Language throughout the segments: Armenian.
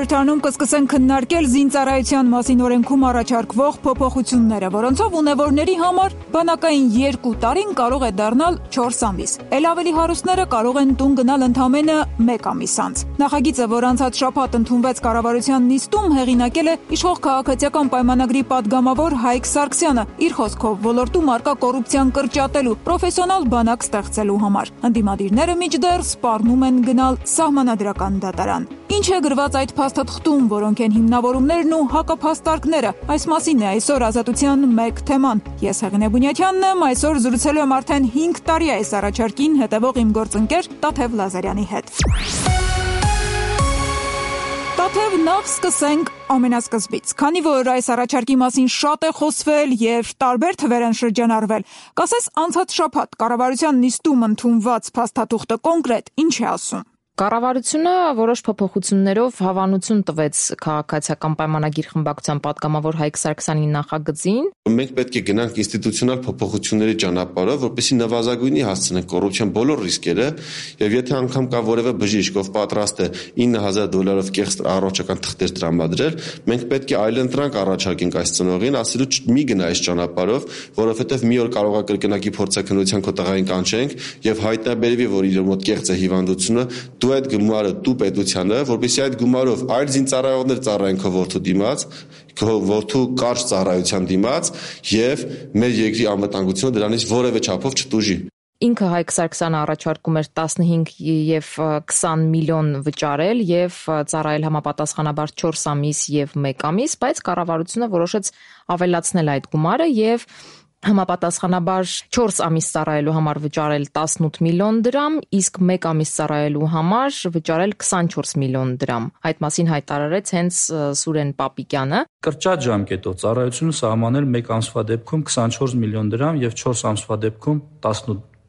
խորհրդարանում կսկսեն քննարկել զինծառայության մասին օրենքում առաջարկվող փոփոխությունները, որոնցով ունևորների համար բանակային 2 տարին կարող է դառնալ 4 ամիս։ Էլ ավելի հարուստները կարող են տուն գնալ ընդամենը 1 ամիս անց։ Նախագիծը, որ անցած շաբաթ ընդունվեց կառավարության նիստում, հեղինակել է իշխող քաղաքացիական պայմանագրի падգամավոր Հայկ Սարգսյանը, իր խոսքով ոլորտում առկա կոռուպցիան կրճատելու, պրոֆեսիոնալ բանակ ստեղծելու համար։ Ընդդիմադիրները մինչդեռ սպառնում են գնալ սահմանադրական դատարան։ Ինչ է գրված այդ փաստաթղթում, որոնք են հիմնավորումներն ու հակափաստարկները։ Այս մասին է այսօր Ազատության մեկ թեման։ Ես Հեղինե Բունյաթյանն եմ, այսօր զրուցելու եմ արդեն 5 տարի այս առաջարկին հետևող իմ գործընկեր Տաթև Լազարյանի հետ։ Տաթև, նախ սկսենք ամենասկզբից, քանի որ այս առաջարկի մասին շատ է խոսվել եւ տարբեր թվեր են շրջանառվել։ Կասես անցած շաբաթ կառավարության նիստում ընդունված փաստաթուղթը կոնկրետ ինչ է ասում։ Կառավարությունը որոշ փոփոխություններով հավանություն տվեց քաղաքացիական պայմանագիր խմբակցության падգամավոր Հայկ Սարգսյանի նախագծին։ Մենք պետք է գնանք ինստիտուցիոնալ փոփոխությունների ճանապարհով, որպեսզի նվազագույնի հասցնենք կոռուպցիան բոլոր ռիսկերը, եւ եթե անգամ կա որևէ բժիշկ, ով պատրաստ է $9,000 կեղծ առողջական թղթեր տրամադրել, մենք պետք է այլընտրանք առաջարկենք այս ծնողին, ասելու մի գնա այս ճանապարհով, որովհետեւ մի օր կարող է կրկնակի փորձաքննության քո տղային կանչենք եւ հայտնաբերվի, որ իր մոտ կեղծ է հիվանդությունը, դու այդ գումարը դու պետությանը, որպեսզի այդ գումարով այլ զինծառայողներ ծառայեն քո որդու դիմաց, քո որդու կարճ ծառայության դիմաց եւ մեր երկրի անվտանգությունը դրանից որևէ չափով չտուժի։ Ինքը Հայկ Սարգսյանը առաջարկում էր 15 եւ 20 միլիոն վճարել եւ ծառայել համապատասխանաբար 4 ամիս եւ 1 ամիս, բայց կառավարությունը որոշեց ավելացնել այդ գումարը եւ համապատասխանաբար 4 ամիս ծառայելու համար վճարել 18 միլիոն դրամ, իսկ 1 ամիս ծառայելու համար վճարել 24 միլիոն դրամ։ Այդ մասին հայտարարեց հենց Սուրեն Պապիկյանը։ Կրճատ ժամկետով ծառայությունը սահմանել 1 ամսվա դեպքում 24 միլիոն դրամ եւ 4 ամսվա դեպքում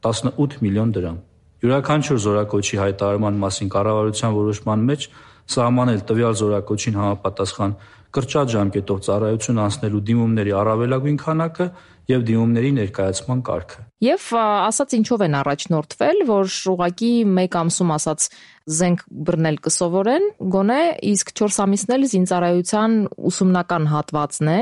18 միլիոն դրամ։ Յուրաքանչյուր զորակոչի հայտարարման մասին կառավարության որոշման մեջ սահմանել տվյալ զորակոչին համապատասխան կրճատ ժամկետով ծառայություն անցնելու դիմումների առավելագույն քանակը եւ դիմումների ներկայացման կարգը։ Եվ ասած ինչով են առաջնորդվել, որ ուղղակի 1 ամսում ասած զենք բռնել կսովորեն, գոնե, իսկ 4 ամիսն էլ զինծառայության ուսումնական հատվածն է,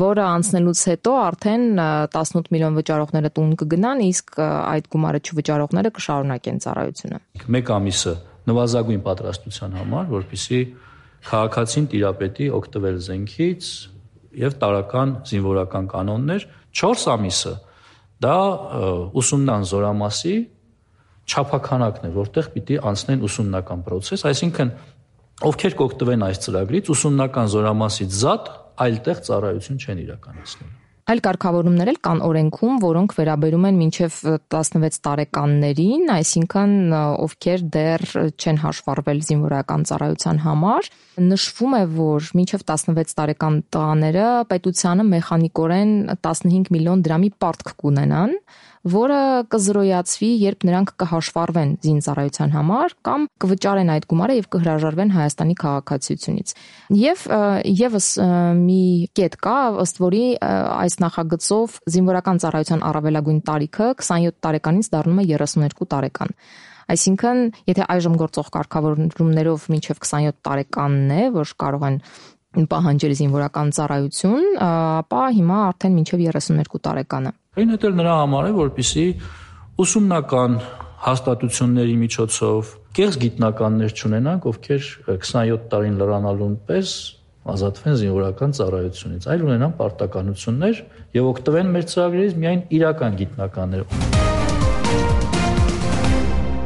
որը անցնելուց հետո արդեն 18 միլիոն վճարողները տուն կգնան, իսկ այդ գումարը չվճարողները կշարունակեն ծառայությունը։ 1 ամիսը նվազագույն պատրաստության համար, որպեսզի քաղաքացին տիրապետի օգտվել զենքից եւ տարական զինվորական կանոններ, 4 ամիսը դա ուսումնական զորամասի չափականակն է, որտեղ պիտի անցնեն ուսումնական process, այսինքն ովքեր կօգտվեն այս ծրագրից, ուսումնական զորամասից զատ այլտեղ ծառայություն չեն իրականացնելու։ Այլ կարգավորումներ էլ կան օրենքում, որոնք վերաբերում են մինչև 16 տարեկաններին, այսինքն ովքեր դեռ չեն հաշվառվել զինվորական ծառայության համար, նշվում է, որ մինչև 16 տարեկան տղաները պետությանը մեխանիկորեն 15 միլիոն դրամի պարտք կունենան, որը կզրոյացվի, երբ նրանք կհաշվառվեն զինծառայության համար կամ կվճարեն այդ գումարը եւ կհրաժարվեն Հայաստանի քաղաքացիությունից։ Եվ եւս մի կետ կա, ըստ որի այս նախագծով զինվորական ծառայության առավելագույն տարիքը 27 տարեկանից դառնում է 32 տարեկան։ Այսինքն, եթե այժմ գործող կարգավորումներով մինչև 27 տարեկանն է, որ կարող են պահանջել զինվորական ծառայություն, ապա հիմա արդեն մինչև 32 տարեկանը։ Այնուհետ էլ նրա համար է, որպեսզի ուսումնական հաստատությունների միջոցով կեղծ գիտնականներ չունենանք, ովքեր 27 տարին լրանալուն պես ազատվեն զինվորական ծառայությունից, այլ ունենան պարտականություններ եւ օգտվեն մեր ծրագրերից միայն իրական գիտնականներ։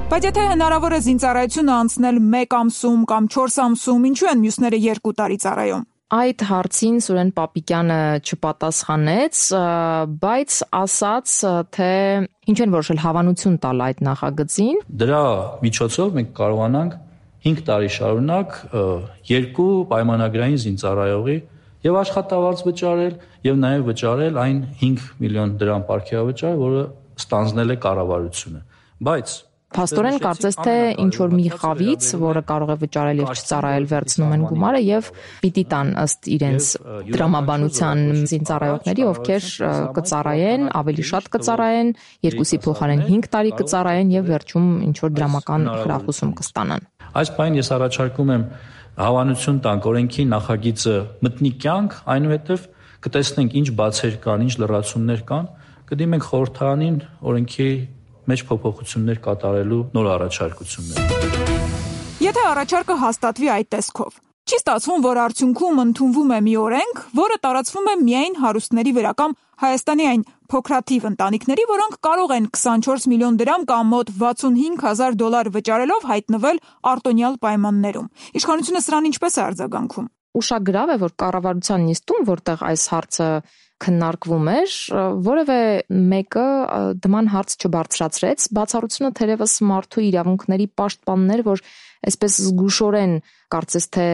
Բայց եթե հնարավոր է զինծառայությունը անցնել 1 ամսում կամ 4 ամսում, ինչու են մյուսները 2 տարի ծառայում։ Այդ հարցին Սուրեն Պապիկյանը չպատասխանեց, բայց ասաց, թե ինչ են որոշել հավանություն տալ այդ նախագծին։ Դրա միջոցով մենք կարողանանք 5 տարի շարունակ 2 պայմանագրային զինծառայողի եւ աշխատավարձ վճարել եւ նաեւ վճարել այն 5 միլիոն դրամ պարգևավճար, որը ստանձնել է կառավարությունը։ Բայց Փաստորեն կարծես թե ինչ որ մի խավից, որը կարող է վճարել եւ չծառայել, վերցնում են գումարը եւ պիտի տան ըստ իրենց դրամաբանության զինծառայողների, ովքեր կծառայեն, ավելի շատ կծառայեն, 2-ի փոխարեն 5 տարի կծառայեն եւ վերջում ինչ որ դրամական խրախուսում կստանան։ Այս բանին ես առաջարկում եմ Հավանություն տանք օրենքի նախագիծը մտնի կյանք, այնուհետև կտեսնենք ինչ բացեր կան, ինչ լրացումներ կան, կդիմենք խորհրդարանին օրենքի մեջ փոփոխություններ կատարելու նոր առաջարկություններ։ Եթե առաջարկը հաստատվի այդ տեսքով, չի ստացվում, որ արդյունքում ընդունվում է մի օրենք, որը տարածվում է միայն հարուստների վրա կամ Հայաստանի այն փոքրաթիվ ընտանիքների, որոնք կարող են 24 միլիոն դրամ կամ մոտ $65,000 վճարելով հայտնվել արտոնյալ պայմաններում։ Իշխանությունը սրան ինչպես է արձագանքում։ Ուշագրավ է, որ կառավարության նիստում, որտեղ այս հարցը քննարկվում էր, որևէ մեկը դման հարց չբարձրացրեց, բացառությունը թերևս մարդու իրավունքների պաշտպաններ, որ այսպես զգուշորեն կարծես թե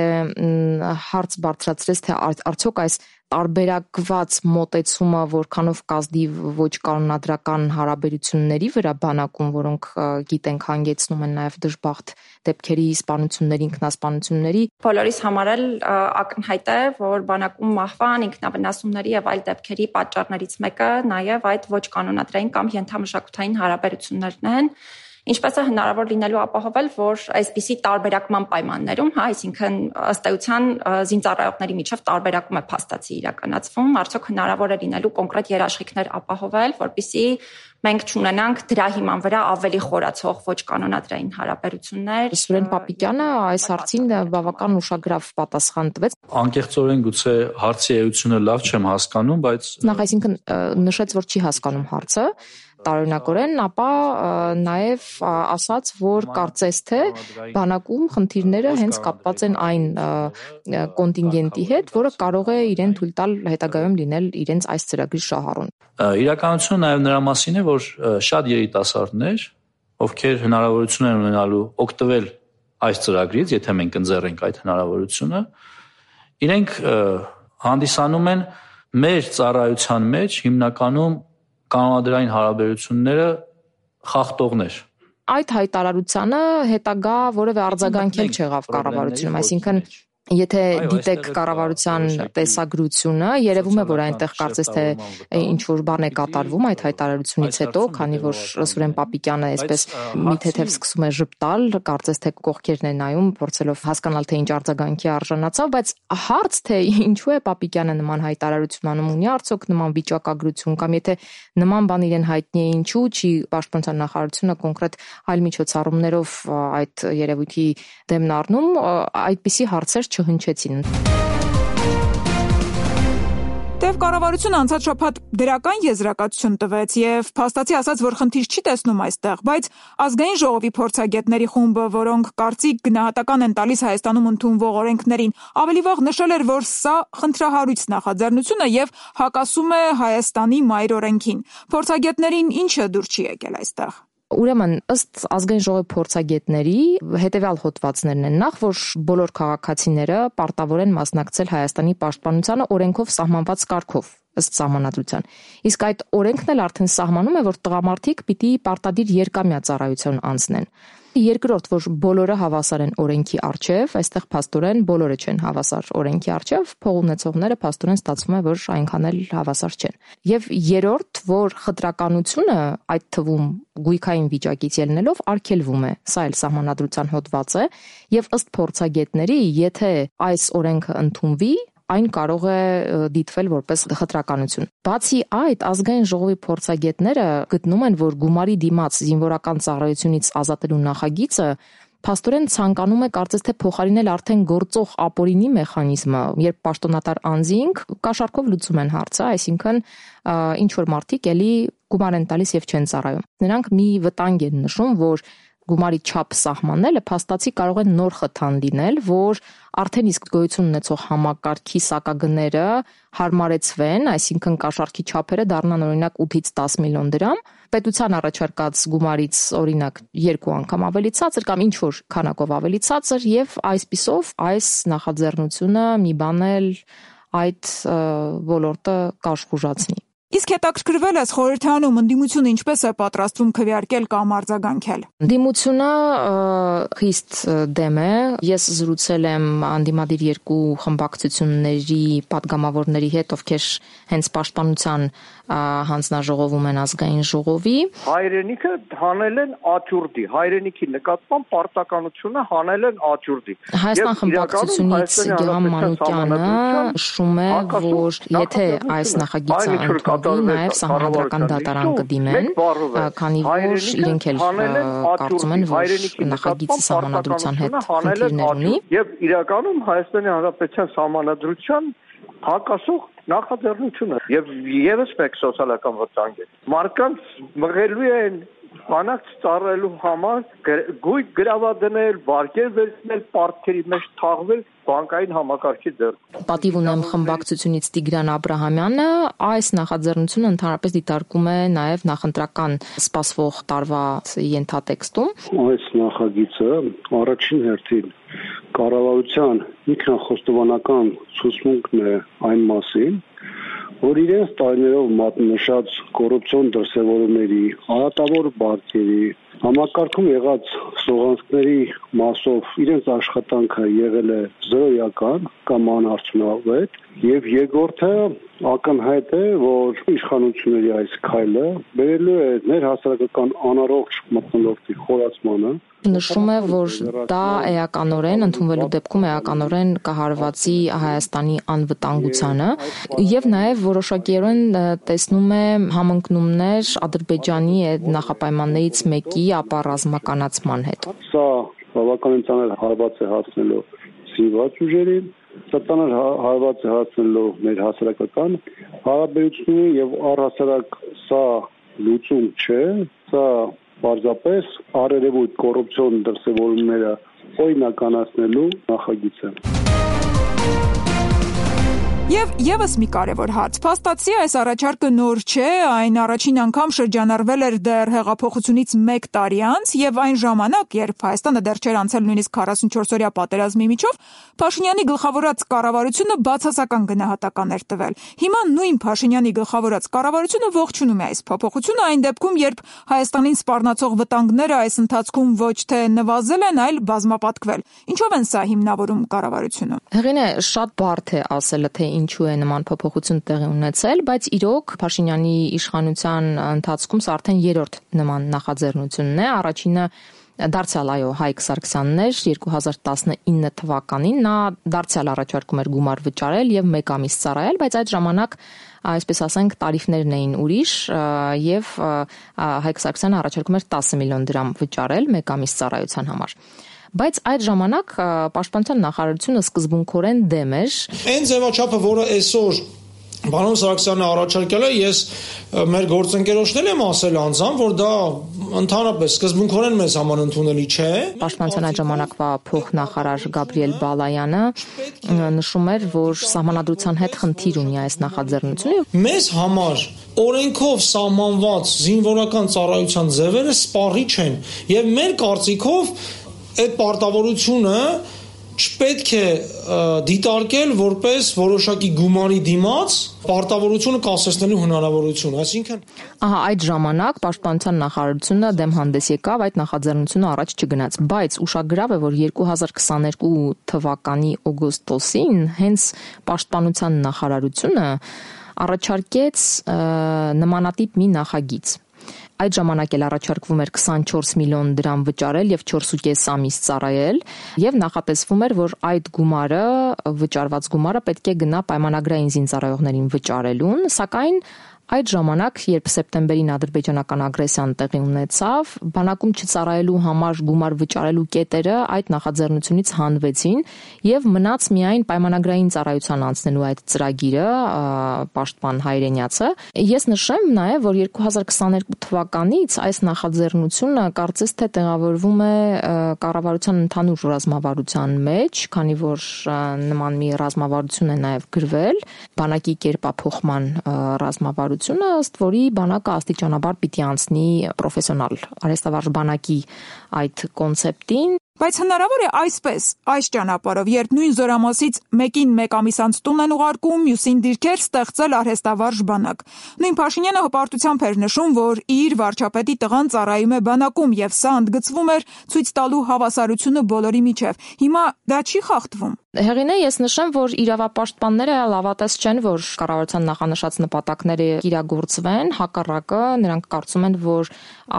հարց բարձրացրեց, թե արդյոք այս տարբերակված մոտեցումը որքանով կազդի ոչ կանոնադրական հարաբերությունների վրա բանակում, որոնք գիտենք հանգեցնում են նաև դժբախտ դեպքերի սպանությունների, ինքնասպանությունների։ Բոլորիս համար էլ ակնհայտ է, որ բանակում մահվան, ինքնավնասումների եւ այլ դեպքերի պատճառներից մեկը նաև այդ ոչ կանոնադրային կամ ենթամշակութային հարաբերություններն են։ Ինչպես է հնարավոր լինելու ապահովել, որ այսպիսի տարբերակման պայմաններում, այսինքն ըստ էության զինծառայողների միջև տարբերակում է փաստացի իրականացվում, արդյոք հնարավոր է լինելու կոնկրետ երաշխիքներ ապահովել, որպեսզի մենք չունենանք դրա հիման վրա ավելի խորացող ոչ կանոնադրային հարաբերություններ։ Սուրեն Պապիկյանը այս հարցին բավական ուշագրավ պատասխան տվեց։ Անկեղծորեն գուցե հարցի էությունը լավ չեմ հասկանում, բայց նախ այսինքն նշեց, որ չի հասկանում հարցը տարօրինակորեն, ապա նաև ասաց, որ կարծես թե բանակում խնդիրները հենց կապված են այն կոնտինգենտի հետ, որը կարող է իրեն թույլ տալ հետագայում լինել իրենց այս ծրագրի շահառուն։ Իրականությունը նաև նրա մասին է, որ շատ երիտասարդներ, ովքեր հնարավորություն են ունենալու օգտվել այս ծրագրից, եթե մենք ընձեռենք այդ հնարավորությունը, իրենք հանդիսանում են մեր ծառայության մեջ հիմնականում կանոնադրային հարաբերությունները խախտողներ։ Այդ հայտարարությանը հետագա որևէ արձագանք չեղավ կառավարությունում, այսինքն եթե դիտեք կառավարության տեսագրությունը, երևում է, որ այնտեղ կարծես թե ինչ-որ բան է կատարվում այդ հայտարարությունից հետո, քանի որ Սուրեն Պապիկյանը այսպես մի թեթև սկսում է ժպտալ, կարծես թե կողքերն է նայում, փորձելով հասկանալ, թե ինչ արձագանքի արժանացավ, բայց հարց թե ինչու է Պապիկյանը նման հայտարարություն անում, ունի արդյոք նման վիճակագրություն կամ եթե նման բան իրեն հայտնի է, ինչու չի պաշտպանության նախարարությունը կոնկրետ այլ միջոցառումներով այդ երևույթի դեմն առնում, այդպիսի հարցեր չհնչեցին։ Տեւ կառավարությունը անցած շաբաթ դրական եզրակացություն տվեց եւ փաստացի ասաց, որ խնդիր չի տեսնում այստեղ, բայց ազգային ժողովի փորձագետների խումբը, որոնք կարծիք գնահատական են տալիս Հայաստանում ընդունվող օրենքներին, ավելի վաղ նշել էր, որ սա խնդրահարույց նախաձեռնություն է եւ հակասում է Հայաստանի մայր օրենքին։ Փորձագետներին ինչը դուր չի եկել այստեղ։ Ուրեմն, ըստ ազգային ժողովի փորձագետների հետևյալ հոդվածներն են. նախ, որ բոլոր քաղաքացիները պարտավոր են մասնակցել Հայաստանի պաշտպանությանը օրենքով սահմանված կարգով, ըստ սահմանադրության։ Իսկ այդ օրենքն էլ արդեն սահմանում է, որ տղամարդիկ պիտի պարտադիր երկամյա ծառայություն անցնեն։ Երկրորդ, որ բոլորը հավասար են օրենքի առջև, այստեղ փաստորեն բոլորը չեն հավասար օրենքի առջև, փող ունեցողները փաստորեն ստացվում է, որ այնքան էլ հավասար չեն։ Եվ երրորդ, որ խտրականությունը այդ թվում գույքային վիճակից ելնելով արգելվում է, սա էլ սահմանադրության հոդված է, եւ ըստ փորձագետների, եթե այս օրենքը ընդունվի, այն կարող է դիտվել որպես խտրականություն։ Բացի այդ, ազգային ժողովի փորձագետները գտնում են, որ գումարի դիմաց զինվորական ծառայությունից ազատելու նախագիծը փաստորեն ցանկանում է կարծես թե փոխարինել արդեն գործող ապօրինի մեխանիզմը, երբ պաշտոնատար անձինք կաշառքով լուծում են հարցը, այսինքն ինչ որ մարդիկ էլի գումար են տալիս եւ չեն ծառայում։ Նրանք մի վտանգ են նշում, որ գումարի չափ սահմանելը փաստացի կարող է նոր խթան լինել, որ արդեն իսկ գոյություն ունեցող համակարգի սակագները հարմարեցվեն, այսինքն կաշառքի չափերը դառնան օրինակ 8-ից 10 միլիոն դրամ, պետության առաջարկած գումարից օրինակ 2 անգամ ավելի ցածր կամ ինչ որ քանակով ավելի ցածր եւ այսպիսով այս նախաձեռնությունը մի բան էլ այդ ոլորտը կաշխուժացնի։ Իսկ հետաքրքրվել ես խորհրդանում ընդդիմությունը ինչպես է պատրաստվում քվեարկել կամ արձագանքել։ Ընդդիմությունը խիստ դեմ է։ Ես զրուցել եմ անդիմադիր երկու խմբակցությունների падգամավորների հետ, ովքեր հենց պաշտպանության հանձնաժողովում են ազգային ժողովի։ Հայրենիքը հանել են աճուրդի, հայրենիքի նկատմամբ պարտականությունը հանել են աճուրդի։ Հայաստան խմբակցությունից Գեհամ Մանուկյանը նշում է, որ եթե այս նախագիծը ընդունվի, նաև սահմանադրական դատարան կդիմեն, քանի որ իրենք էլ կարծում են, որ նախագիծը սահմանադրության հետ խնդիրներ ունի։ Եվ իրականում Հայաստանի Հանրապետության սահմանադրության հակասող նախաձեռնությունը եւ եւս մեկ սոցիալական վտանգ է։ Մարդկանց մղելու են բանակ ծառայելու համար գույք գրավադնել, վարկեր վերցնել, պարտքերի մեջ թաղվել բանկային համակարգի դեր։ Պատիվ ունեմ խմբակցությունից Տիգրան Աբրահամյանը, այս նախաձեռնությունը ընդհանրապես դիտարկում է նաև նախընտրական սպասվող տարվա ենթատեքստում։ Այս նախագիծը առաջին հերթին կառավարության ինքնախոստովանական ցուցմունքն է այն մասին, որ իրենց տարիներով մատնշած կոռուպցիոն դրսևորումների, արատավոր բանկերի, համակարգում եղած սողանցքների մասով իրենց աշխատանքը եղել է զրոյական կամ անարդյունավետ, եւ երկրորդը ակնհայտ է, որ իշխանությունների այս քայլը բերելու է ներհասարակական անառողջ մթնոլորտի խորացմանը։ Նշում է, որ դա էականորեն ընդունվելու դեպքում էականորեն կհարվածի Հայաստանի անվտանգությանը եւ նաեւ որոշակիորեն տեսնում է համընկնումներ Ադրբեջանի այդ նախապայմաններից մեկի ապա ռազմականացման հետ։ Սա բավականին ծանր հարված է հասնելու զինված ուժերին, սա ծանր հարված է հասնելու մեր հասարակական հարաբերություններին եւ առհասարակ սա լուծում չէ, սա պարզապես արերևույթ կոռուպցիոն դրսևորումները օրինականացնելու նախագիծ է։ Եվ եւս մի կարևոր հարց. փաստացի այս առաջարկը նոր չէ, այն առաջին անգամ շրջանառվել էր դեռ հեղափոխությունից 1 տարի անց եւ այն ժամանակ, երբ Հայաստանը դեռ չէր անցել նույնիսկ 44-օրյա պատերազմի միջով, Փաշինյանի գլխավորած կառավարությունը բացասական գնահատական էր տվել։ Հիմա նույն Փաշինյանի գլխավորած կառավարությունը ողջունում է այս փոփոխությունը այն դեպքում, երբ Հայաստանին սպառնացող վտանգները այս ընթացքում ոչ թե նվազել են, այլ բազմապատկվել։ Ինչով են սա հիմնավորում կառավարությունը։ Հեղինե, շատ բարդ է ասելը, թե ինչու է նման փոփոխություն տեղի ունեցել, բայց իրոք Փաշինյանի իշխանության ընթացքում սա արդեն 3-րդ նման նախաձեռնությունն է։ Առաջինը դարձյալ Հայկ Սարգսյանն էր 2019 թվականին, նա դարձյալ առաջարկում էր գումար վճարել եւ 1 ամիս ծառայել, բայց այդ ժամանակ այսպես ասենք տարիֆներն էին ուրիշ եւ Հայկ Սարգսյանը առաջարկում էր 10 միլիոն դրամ վճարել 1 ամիս ծառայության համար։ Բայց այդ ժամանակ պաշտպանության նախարարությունը սկզբունքորեն դեմ էր։ Այն ձևաչափը, որը այսօր Պարոն Սարգսյանը առաջարկել է, ես մեր գործընկերոջներն եմ ասել անձամբ, որ դա ընդհանրապես սկզբունքորեն մեզ համար ընդունելի չէ։ Պաշտպանության այդ ժամանակվա փոխնախարար Գաբրիել Բալայանը նշում էր, որ սահմանադրության հետ խնդիր ունի այս նախաձեռնությունը։ Մեզ համար օրենքով սահմանված զինվորական ծառայության ձևերը սպառիչ են, եւ մեր կարծիքով այդ պարտավորությունը չպետք է դիտարկել որպես որոշակի գումարի դիմաց պարտավորությունը կասեցնելու հնարավորություն, այսինքն այդ ժամանակ պաշտպանության նախարարությունը դեմ հանդես եկավ, այդ նախաձեռնությունը առաջ չգնաց, բայց ուշագրավ է, որ 2022 թվականի օգոստոսին հենց պաշտպանության նախարարությունը առաջարկեց նմանատիպ մի նախագիծ։ Այդ ժամանակ էլ առաջարկվում էր 24 միլիոն դրամ վճարել եւ 4.5 ամիս ծառայել եւ նախատեսվում էր, որ այդ գումարը, վճարված գումարը պետք է գնա պայմանագրային զինծառայողներին վճարելուն, սակայն այդ ժամանակ, երբ սեպտեմբերին ադրբեջանական ագրեսիան տեղի ունեցավ, բանակում չծառայելու համար գումար վճարելու կետերը այդ նախաձեռնությունից հանվեցին եւ մնաց միայն պայմանագրային ծառայության անցնելու այդ ծրագիրը, պաշտպան Հայրենյացը։ Ես նշեմ նաեւ, որ 2022 թվականից այս նախաձեռնությունը կարծես թե տեղավորվում է կառավարության ընդհանուր ռազմավարության մեջ, քանի որ նման մի ռազմավարություն է նաեւ գրվել բանակի կերպափոխման ռազմավարություն, ըստ որի բանակը աստիճանաբար պիտի անցնի պրոֆեսիոնալ արհեստավարժ բանակի այդ կոնցեպտին։ Բայց հնարավոր է այսպես, այս ճանապարհով, երբ նույն զորամասից մեկին մեկ ամիս անց տուն են ուղարկում, մյուսին դիրքեր ստեղծել արհեստավարժ բանակ։ Նույն Փաշինյանը հպարտությամբ էր նշում, որ իր վարչապետի տղան ծառայում է բանակում եւ սա ընդգծվում էր ցույց տալու հավասարությունը բոլորի միջև։ Հիմա դա չի խախտվում։ Հեղինե, ես նշեմ, որ իրավապաշտպանները լավատես չեն, որ կառավարության նախանշած նպատակները իրագործվեն, հակառակը նրանք կարծում են, որ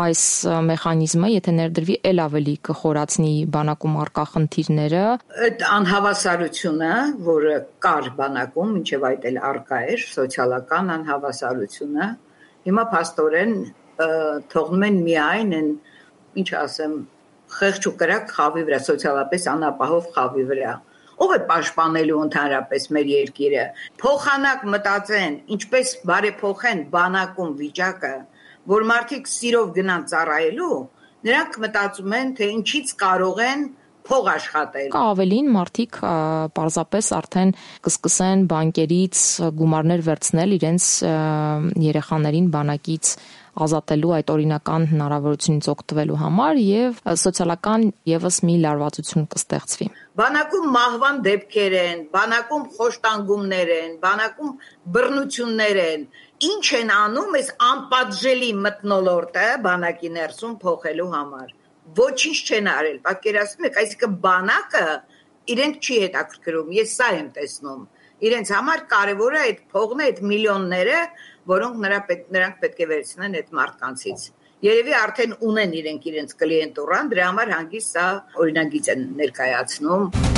այս մեխանիզմը, եթե ներդրվի, ել ավելի կխորացնի բանակում առկա խնդիրները։ Այդ անհավասարությունը, որը կար բանակում, մինչև այդ էլ առկա էր, սոցիալական անհավասարությունը, հիմա փաստորեն թողնում են միայն ինչ ասեմ, խեղճ ու կրակ խավի վրա, սոցիալապես անապահով խավի վրա։ Ով է պաշտպանելու ընդհանրապես մեր երկիրը։ Փոխանակ մտածեն, ինչպես բարեփոխեն բանակում վիճակը, որ մարդիկ սիրով գնան ծառայելու, նրանք մտածում են, թե ինչից կարող են փող աշխատել։ Ավելին մարդիկ պարզապես արդեն կսկսեն բանկերից գումարներ վերցնել իրենց երեխաներին բանակից ազատելու այդ օրինական հնարավորությունից օգտվելու համար եւ սոցիալական եւս մի լարվածություն կստեղծվի։ Բանակում մահվան դեպքեր են, բանակում խոշտանգումներ են, բանակում բռնություններ են։ Ինչ են անում այս անպատժելի մթնոլորտը բանակի ներսում փոխելու համար։ Ոչինչ չեն արել։ Պատկերացնում եք, այսինքն բանակը իրենք չի հետաքրքրում։ Ես սա եմ տեսնում։ Իրենց համար կարևոր է այդ փողն է, այդ միլիոնները, որոնք նրանք պետք է վերցնեն այդ մարդկանցից։ Երևի արդեն ունեն իրենց կլիենտուրան, դրա համար հանգիստ սա օրինագիծ են ներկայացնում։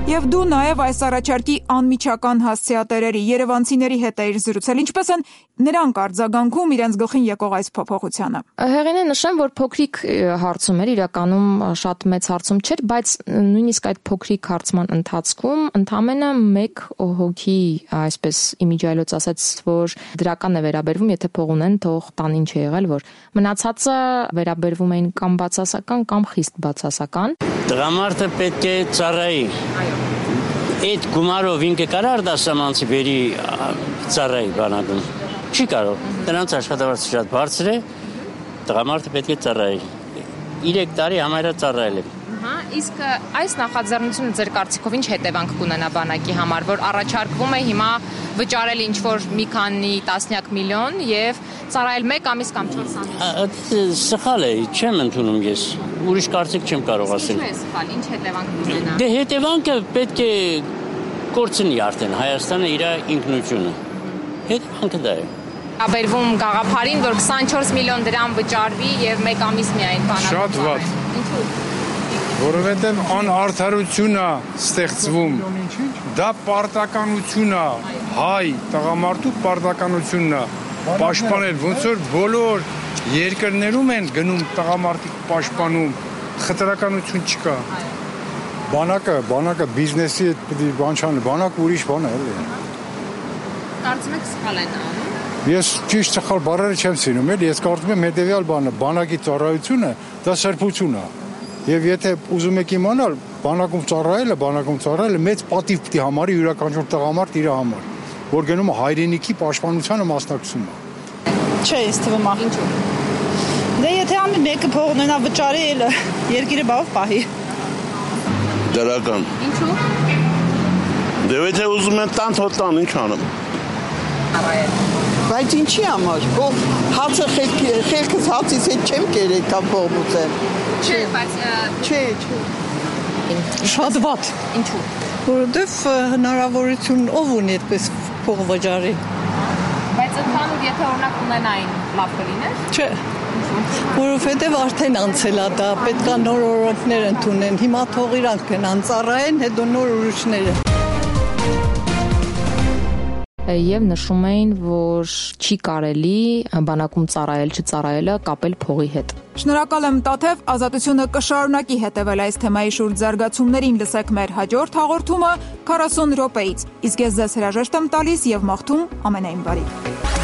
Եվ դու նաև այս առաջարկի անմիջական հասցեատերերի երևանցիների հետ էիր զրուցել, ինչպես են նրանք արձագանքում իրենց գլխին եկող այս փոփոխությանը։ Հեղինե, նշեմ, որ փոքրիկ հարցում էր, իրականում շատ մեծ հարցում չէր, բայց նույնիսկ այդ փոքրիկ հարցման ընթացքում ընդամենը մեկ հոգի, այսպես իմիջիայլոց ասաց, որ դրական է վերաբերվում, եթե փող ունեն, թող տան ինչ է եղել, որ մնացածը վերաբերվում էին կամ բացասական կամ խիստ բացասական։ Տղամարդը պետք է ծառայի։ Այդ գումարով ինքը կարող դասամանցի բերի ծառայի բանակում։ Չի կարող։ Նրանց աշխատավարձը շատ բարձր է։ Տղամարդը պետք է ծառայի։ 3 տարի համարյա ծառայել եմ։ Իսկ այս նախաձեռնությունը ձեր կարծիքով ինչ հետևանք կունենա բանակի համար, որ առաջարկվում է հիմա վճարել ինչ-որ մի քանի տասնյակ միլիոն եւ ծառայել 1 ամիս կամ 4 ամիս։ Սխալ է, չեմ ընդունում ես։ Ուրիշ կարծիք չեմ կարող ասել։ Ինչու է սխալ, ինչ հետևանք կունենա։ Դե հետևանքը պետք է կորցնի արդեն Հայաստանը իր ինքնությունը։ Հետևանքը դա է։ Աբերվում գաղափարին, որ 24 միլիոն դրամ վճարվի եւ 1 ամիս միայն բանակում։ Շատ վատ։ Ինչու՞։ Որովհետև անարդարություն է ստեղծվում։ Դա պարտականություն է, հայ տղամարդու պարտականությունն է պաշտպանել, ոնց որ բոլոր երկրներում են գնում տղամարդիկ պաշտպանում, խտրականություն չկա։ Բանակը բիզնեսի բան չան, բանակը ուրիշ բան է, էլի։ Կարծում եք սխալ են անում։ Ես ճիշտ սխալ բառերը չեմ սիրում, էլի, ես կարծում եմ հետևյալ բանը, բանակի ծառայությունը դա սրբություն է։ Եվ եթե ուզում եք իմանալ, բանակում ծառայելը մեծ պատիվ պիտի համարի յուրաքանչյուր տղամարդ իր համար, որ գնում է հայրենիքի պաշտպանությանը մասնակցում է։ Չէ, ինձ թվում է։ Ինչու՞։ Դե եթե ամեն մեկը փող ունենա վճարի, երկիրը բավ պահի։ Դրական։ Ինչու՞։ Դե եթե ուզում են տան, ինչ անեմ։ Բայց ինչի համար։ Հացը խելքս հացից հետ չեմ կերել կամ փող ուզեմ։ Չէ, բայց Չէ։ Շատ վատ։ Ինչու՞։ Որովհետև հնարավորություն ով ունի այդպես փող վճարի։ Բայց ընդհանուր եթե օրինակ ունենային լավ կլիներ։ Չէ։ Որովհետև արդեն անցել է դա, պետք է նոր օրենքներ ընդունեն։ Հիմա թող իրանք գնան ծառայեն, հետո նոր ուրիշները։ Եվ նշում էին, որ չի կարելի բանակում չծառայելը կապել փողի հետ։ Շնորհակալ եմ Տաթև, Ազատությունը կշարունակի հետևել այս թեմայի շուրջ զարգացումներին, լսեք մեր հաջորդ հաղորդումը 40 րոպեից։ Իսկ ես ձեզ հրաժեշտ եմ տալիս եւ մաղթում ամենայն բարիք։